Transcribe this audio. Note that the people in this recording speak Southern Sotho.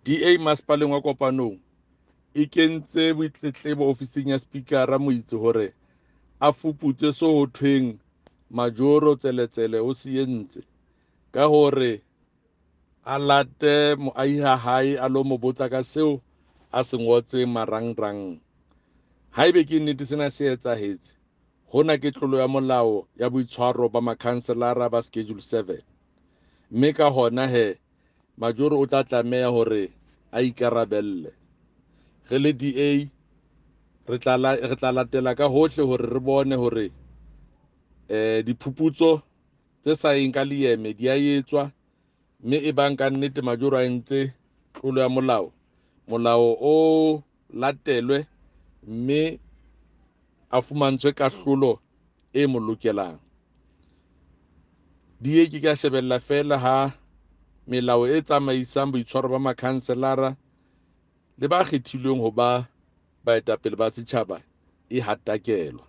DA masepaleng wa Kopanong e kentse boitletlebo ofising ya Spikara Moitse hore a fuputse so ho thweng Majoro Tseletsele o se entse ka hore a late moahi ha hae a lo mo botsa ka seo a se ngotseng marangrang. Haebe ke nnete sena se etsahetse, hona ke tlolo ya molao ya boitshwaro ba makhanselara ba Schedule 7. Mme ka hona he Majoro o tla tlameha hore a ikarabelle. Re le DA re tla latela ka hohle hore re bone hore diphuputso tse sa yeng ka leeme di a etswa, mme e bang ka nnete Majoro a entse tlolo ya molao, molao o latelwe mme a fumantshwe kahlolo e mo lokelang. DA ke ka shebella feela ha melao e tsamaisang boitshwaro ba makhanselara le ba kgethilweng ho ba baetapele ba setjhaba e hatakelwa.